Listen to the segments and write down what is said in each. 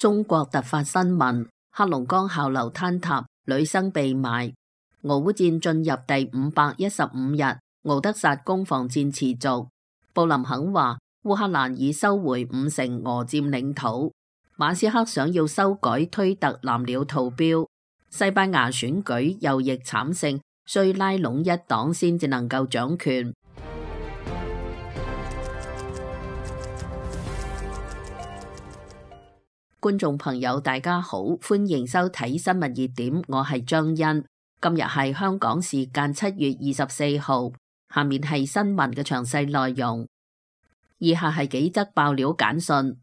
中國突發新聞：黑龍江校樓坍塌，女生被埋。俄烏戰進入第515日，敖德薩攻防戰持續。布林肯話，烏克蘭已收回5成俄佔領土。馬斯克想要修改推特藍鳥圖標。西班牙選舉右翼慘勝，需拉攏一黨先至能夠掌權。觀眾朋友大家好，歡迎收睇新聞熱點，我係張欣。今日係香港時間7月24號，下面係新聞嘅詳細內容。以下係幾則爆料簡訊。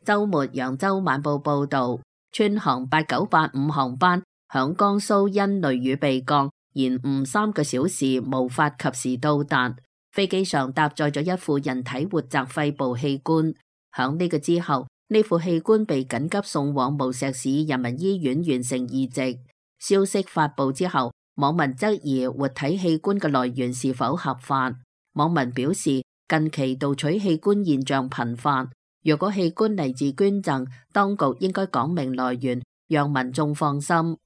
周末揚州晚報報道，川航8985航班響江蘇因雷雨被降，延誤3個小時，無法及時到達。飛機上搭載咗一副人體活摘肺部器官，響呢個之後，呢副器官被緊急送往無錫市人民醫院完成移植。消息發布之後，網民質疑活體器官嘅來源是否合法。網民表示，近期盜取器官現象頻發，若果器官嚟自捐贈，當局應該講明來源，讓民眾放心。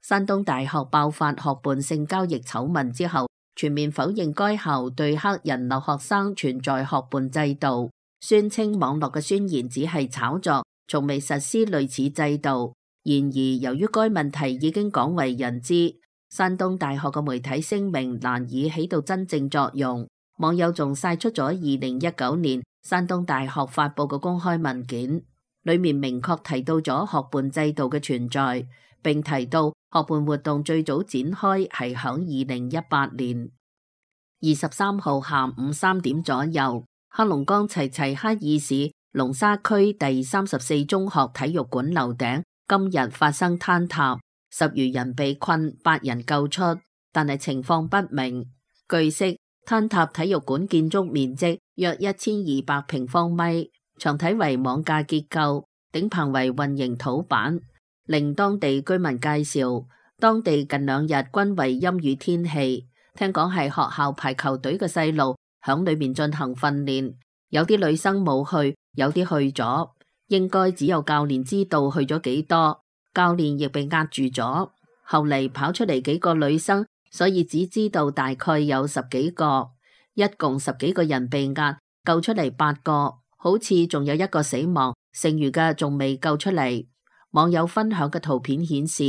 山東大學爆發學伴性交易醜聞之後，全面否認該校對黑人留學生存在學伴制度，宣稱網絡嘅宣言只係炒作，從未實施類似制度。然而，由於該問題已經廣為人知，山東大學嘅媒體聲明難以起到真正作用。網友仲曬出咗2019年山東大學發布嘅公開文件，裏面明確提到咗學伴制度嘅存在，並提到學伴活動最早展開係響2018年。23號下午3點左右，黑龍江齊齊哈爾市龍沙區第34中學體育館樓頂今日發生坍塌，10餘人被困，8人救出，但係情況不明。據悉，坍塌體育館建築面積約1200平方米，牆體為網架結構，頂棚為混凝土板。令當地居民介紹，當地近2日均為陰雨天氣，聽講係學校排球隊嘅細路響裏面進行訓練，有啲女生冇去，有啲去咗，應該只有教練知道去咗幾多，教練亦被壓住咗。後嚟跑出嚟幾個女生，所以只知道大概有10幾個，一共10幾個人被壓，救出嚟8個，好似仲有1個死亡，剩餘嘅仲未救出嚟。網友分享嘅圖片顯示，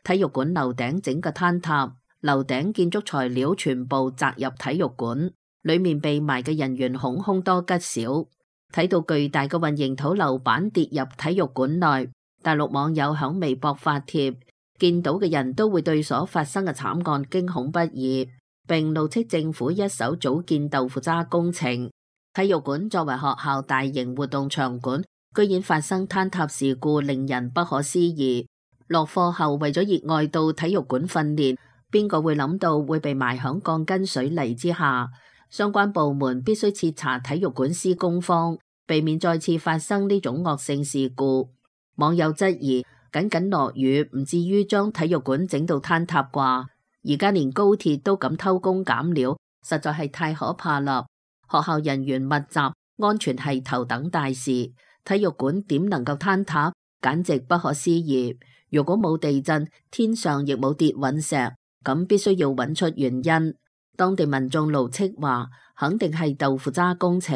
體育館樓頂整個坍塌，樓頂建築材料全部砸入體育館，裏面被埋嘅人員恐凶多吉少。睇到巨大嘅混凝土樓板跌入體育館內，大陸網友響微博發帖，見到嘅人都會對所發生嘅慘案驚恐不已，並怒斥政府一手組建豆腐渣工程。體育館作為學校大型活動場館，居然發生坍塌事故，令人不可思議。落課後為咗熱愛到體育館訓練，邊個會諗到會被埋響鋼筋水泥之下？相關部門必須徹查體育館施工方，避免再次發生呢種惡性事故。網友質疑，僅落雨唔至於將體育館整到坍塌啩？而家連高鐵都敢偷工減料，實在係太可怕啦！學校人員密集，安全係頭等大事，體育館點能夠坍塌？簡直不可思議。如果冇地震，天上亦冇跌隕石，咁必須要揾出原因。當地民眾怒斥話，肯定係豆腐渣工程。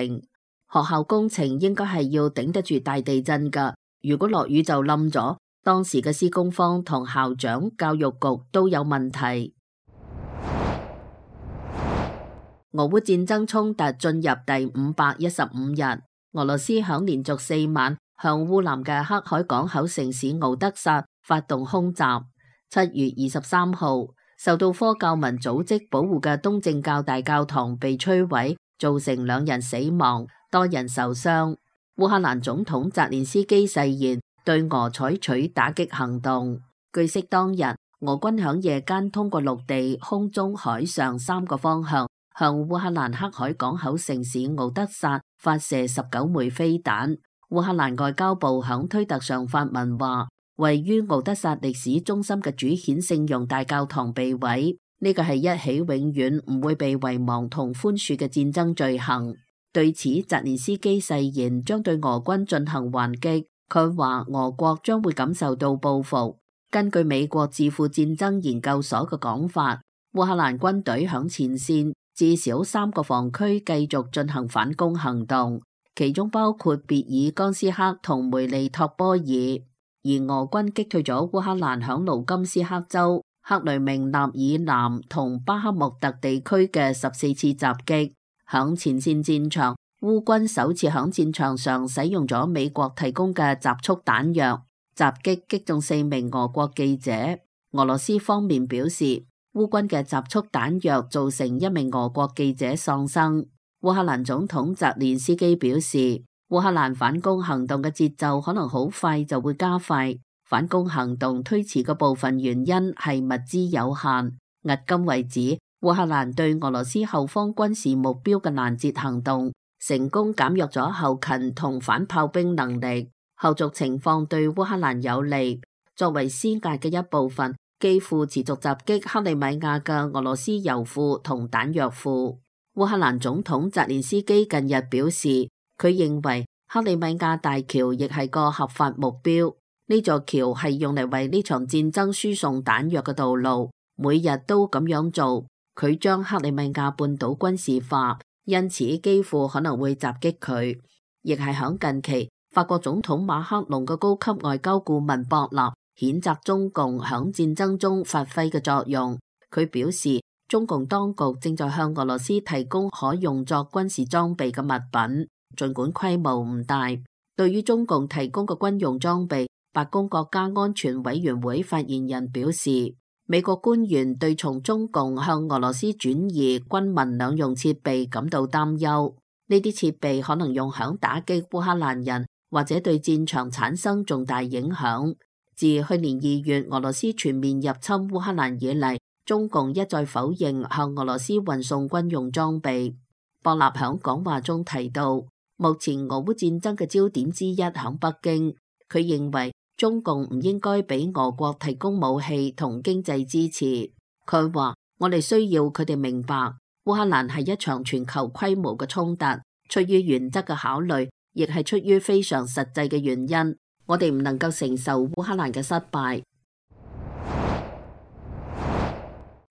學校工程應該係要頂得住大地震㗎，如果落雨就冧咗，當時嘅施工方同校長、教育局都有問題。俄烏戰爭衝突進入第515日，俄羅斯響連續4晚向烏南嘅黑海港口城市敖德薩發動空襲。7月23號，受到科教民組織保護嘅東正教大教堂被摧毀，造成2人死亡，多人受傷。烏克蘭總統澤連斯基誓言對俄採取打擊行動。據悉當日，俄軍響夜間通過陸地、空中、海上3個方向，向烏克蘭黑海港口城市敖德薩發射19枚飛彈。烏克蘭外交部響推特上發文話，位於敖德薩歷史中心嘅主顯聖容大教堂被毀，呢個係一起永遠唔會被遺忘同寬恕嘅戰爭罪行。對此，澤連斯基誓言將對俄軍進行還擊。佢話俄國將會感受到報復。根據美國智庫戰爭研究所嘅講法，烏克蘭軍隊響前線至少3個防區繼續進行反攻行動，其中包括別爾江斯克同梅利托波爾。而俄軍擊退咗烏克蘭響盧甘斯克州、克雷明納以南同巴克穆特地區嘅14次襲擊。響前線戰場，烏軍首次響戰場上使用咗美國提供嘅集束彈藥，襲擊擊中4名俄國記者。俄羅斯方面表示，烏軍嘅集束彈藥造成1名俄國記者喪生。烏克蘭總統澤連斯基表示，烏克蘭反攻行動嘅節奏可能好快就會加快，反攻行動推遲嘅部分原因係物資有限。迄今為止，烏克蘭對俄羅斯後方軍事目標嘅攔截行動成功減弱咗後勤同反炮兵能力，後續情況對烏克蘭有利。作為施壓嘅一部分，基輔持續襲擊克里米亞嘅俄羅斯油庫同彈藥庫。烏克蘭總統澤連斯基近日表示，佢認為克里米亞大橋亦係個合法目標，呢座橋係用嚟為呢場戰爭輸送彈藥嘅道路，每日都咁樣做。佢將克里米亞半島軍事化，因此基輔可能會襲擊佢。亦係響近期，法國總統馬克龍嘅高級外交顧問博納譴責中共響戰爭中發揮嘅作用。佢表示，中共當局正在向俄羅斯提供可用作軍事裝備嘅物品，儘管規模唔大。對於中共提供嘅軍用裝備，白宮國家安全委員會發言人表示，美國官員對從中共向俄羅斯轉移軍民兩用設備感到擔憂，呢啲設備可能用響打擊烏克蘭人，或者對戰場產生重大影響。自去年2月俄羅斯全面入侵烏克蘭以嚟，中共一再否認向俄羅斯運送軍用裝備。博納響講話中提到，目前俄烏戰爭嘅焦點之一響北京，佢認為中共唔應該俾俄國提供武器同經濟支持。佢話，我哋需要佢哋明白，烏克蘭係一場全球規模嘅衝突，出於原則嘅考慮，亦係出於非常實際嘅原因，我哋唔能夠承受烏克蘭嘅失敗。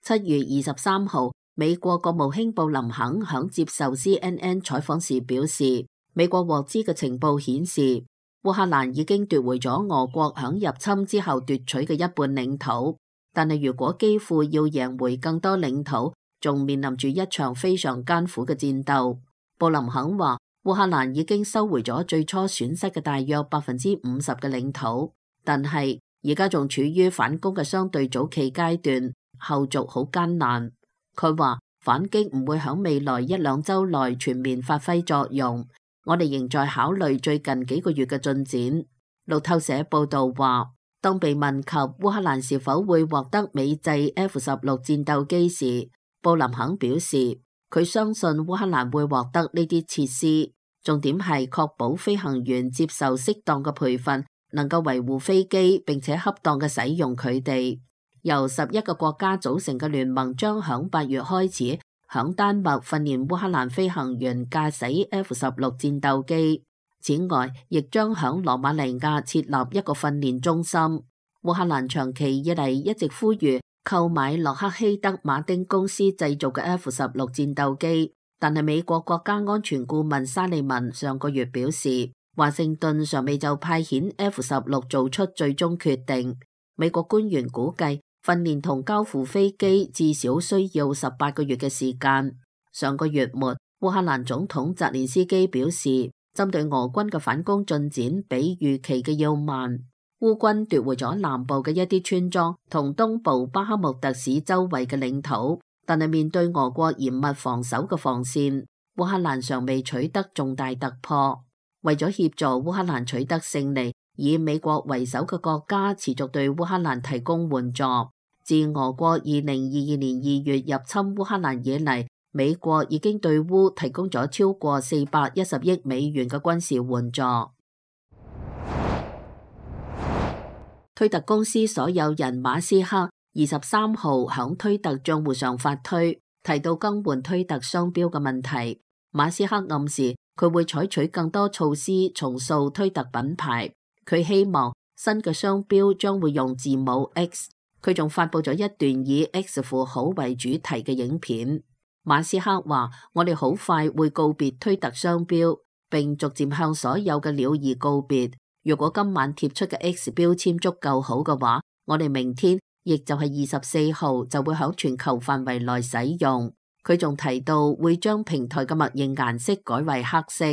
7月23號，美國國務卿布林肯響接受 CNN 採訪時表示，美國獲知嘅情報顯示，烏克蘭已經奪回咗俄國響入侵之後奪取嘅一半領土，但係如果基輔要贏回更多領土，仲面臨住一場非常艱苦嘅戰鬥。布林肯話，烏克蘭已經收回咗最初損失嘅大約50%嘅領土，但係而家仲處於反攻嘅相對早期階段，後續好艱難。佢話反擊唔會響未來1-2週內全面發揮作用。我哋仍在考慮最近幾個月嘅進展。路透社報道話，當被問及烏克蘭是否會獲得美製 F-16戰鬥機時，布林肯表示佢相信烏克蘭會獲得呢啲設施，重點係確保飛行員接受適當嘅培訓，能夠維護飛機並且恰當嘅使用佢哋。由11個國家組成嘅聯盟將響8月開始響丹麥訓練烏克蘭飛行員駕駛 F-16戰鬥機，此外亦將響羅馬尼亞設立一個訓練中心。烏克蘭長期以嚟一直呼籲購買洛克希德馬丁公司製造嘅 F-16戰鬥機，但係美國國家安全顧問沙利文上個月表示，華盛頓尚未就派遣 F-16做出最終決定。美國官員估計，訓練同交付飛機至少需要18個月嘅時間。上個月末，烏克蘭總統澤連斯基表示，針對俄軍嘅反攻進展比預期嘅要慢。烏軍奪回咗南部嘅一啲村莊同東部巴克穆特市周圍嘅領土，但係面對俄國嚴密防守嘅防線，烏克蘭尚未取得重大突破。為咗協助烏克蘭取得勝利，以美國為首嘅國家持續對烏克蘭提供援助。自俄國2022年2月入侵烏克蘭以嚟，美國已經對烏提供咗超過410億美元嘅軍事援助。推特公司所有人馬斯克23號響推特賬戶上發推，提到更換推特商標嘅問題。馬斯克暗示佢會採取更多措施重塑推特品牌。佢希望新嘅商標將會用字母 X。佢仲發佈咗一段以 X 符號為主題嘅影片。馬斯克話：我哋好快會告別推特商標，並逐漸向所有嘅鳥兒告別。如果今晚貼出嘅 X 標籤足夠好嘅話，我哋明天，亦就係24號就會響全球範圍內使用。佢仲提到會將平台嘅默認顏色改為黑色。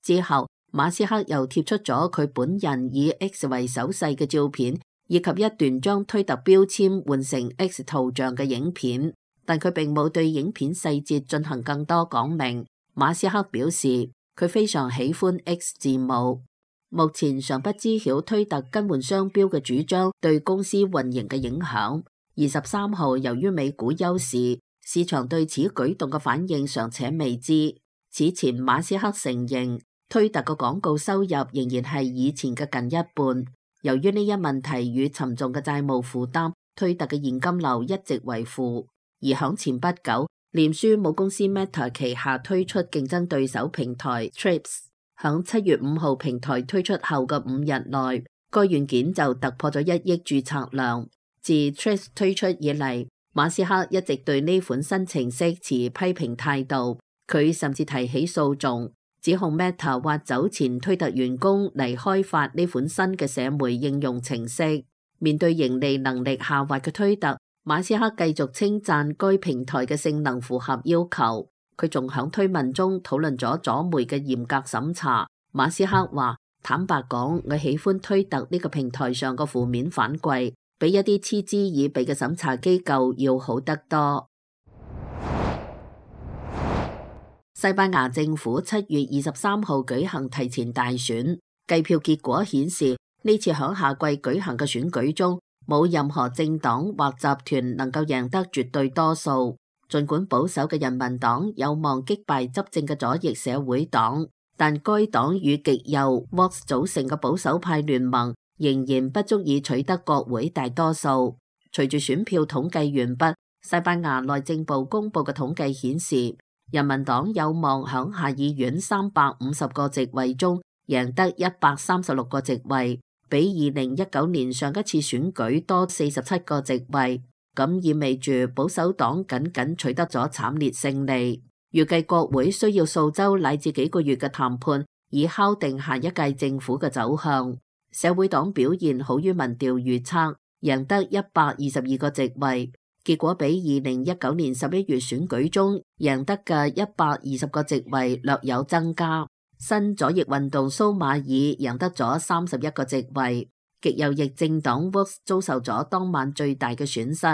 之後，馬斯克又貼出咗佢本人以 X 為手勢嘅照片，以及一段將推特標籤換成 X 圖像嘅影片。但佢並冇對影片細節進行更多講明。馬斯克表示佢非常喜歡 X 字母。目前尚不知曉推特更換商標嘅主張對公司運營嘅影響。23號由於美股休市，市場對此舉動嘅反應尚且未知。此前馬斯克承認推特嘅廣告收入仍然係以前嘅近一半。由於呢一問題與沉重嘅債務負擔，推特嘅現金流一直為負。而響前不久，臉書母公司 Meta 旗下推出競爭對手平台 Threads， 響7月5號平台推出後嘅5日內，該軟件就突破咗1億註冊量。自 Threads 推出以嚟，馬斯克一直對呢款新程式持批評態度，佢甚至提起訴訟，指控 Meta 挖走前推特員工嚟開發呢款新嘅社媒應用程式。面對盈利能力下滑嘅推特，馬斯克繼續稱讚該平台嘅性能符合要求。佢仲響推文中討論咗左媒嘅嚴格審查。馬斯克話：坦白講，我喜歡推特呢個平台上嘅負面反饋，比一啲嗤之以鼻嘅審查機構要好得多。西班牙政府7月23號舉行提前大選，計票結果顯示，呢次響夏季舉行嘅選舉中，冇任何政黨或集團能夠贏得絕對多數。儘管保守嘅人民黨有望擊敗執政嘅左翼社會黨，但該黨與極右 Vox 組成嘅保守派聯盟仍然不足以取得國會大多數。隨住選票統計完畢，西班牙內政部公布嘅統計顯示，人民黨有望響下議院350個席位中贏得136個席位，比2019年上一次選舉多47個席位，咁意味住保守黨僅僅取得咗慘烈勝利。預計國會需要數週乃至幾個月嘅談判，以敲定下一屆政府嘅走向。社會黨表現好於民調預測，贏得122個席位，結果比2019年11月選舉中贏得嘅120個席位略有增加。新左翼運動蘇馬爾贏得咗31個席位，極右翼政黨 Vox 遭受咗當晚最大嘅損失。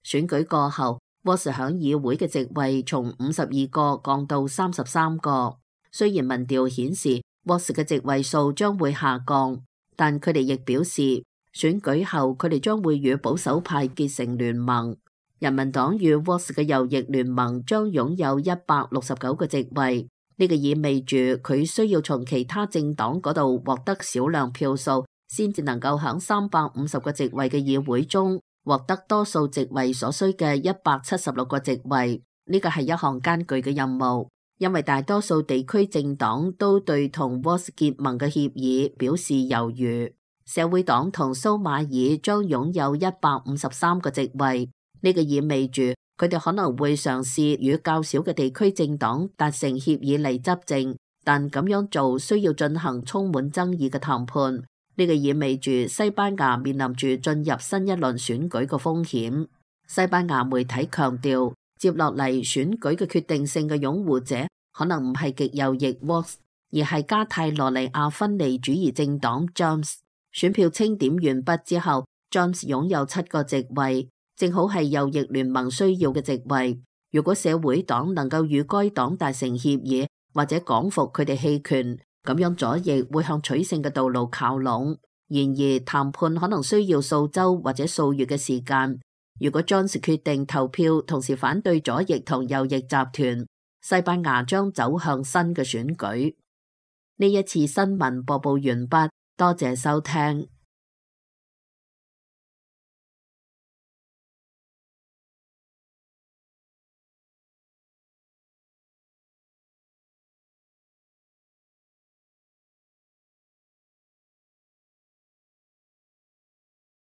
選舉過後，Vox 響議會嘅席位從52個降到33個。雖然民調顯示 Vox 嘅席位數將會下降，但佢哋亦表示，選舉後佢哋將會與保守派結成聯盟。人民黨與 Vox 嘅右翼聯盟將擁有169個席位。呢個意味住佢需要從其他政黨嗰度獲得少量票數，先至能夠響350個席位嘅議會中獲得多數席位所需嘅176個席位。呢個係一項艱巨嘅任務，因為大多數地區政黨都對同 Vox 結盟嘅協議表示猶豫。社會黨同蘇馬爾將擁有153個席位。呢個意味住佢哋可能會嘗試與較少嘅地區政黨達成協議嚟執政，但咁樣做需要進行充滿爭議嘅談判。呢個意味住西班牙面臨住進入新一輪選舉嘅風險。西班牙媒體強調，接落嚟選舉嘅決定性嘅擁護者可能唔係極右翼 Vox， 而係加泰羅尼亞分離主義政黨 Junts。選票清點完畢之後， Junts 擁有7個席位，正好係右翼聯盟需要嘅席位。如果社會黨能夠與該黨達成協議，或者講服佢哋棄權，咁樣左翼會向取勝嘅道路靠攏。然而談判可能需要數週或者數月嘅時間。如果 Junts 決定投票同時反對左翼同右翼集團，西班牙將走向新嘅選舉。呢一次新聞播報完畢，多謝收聽。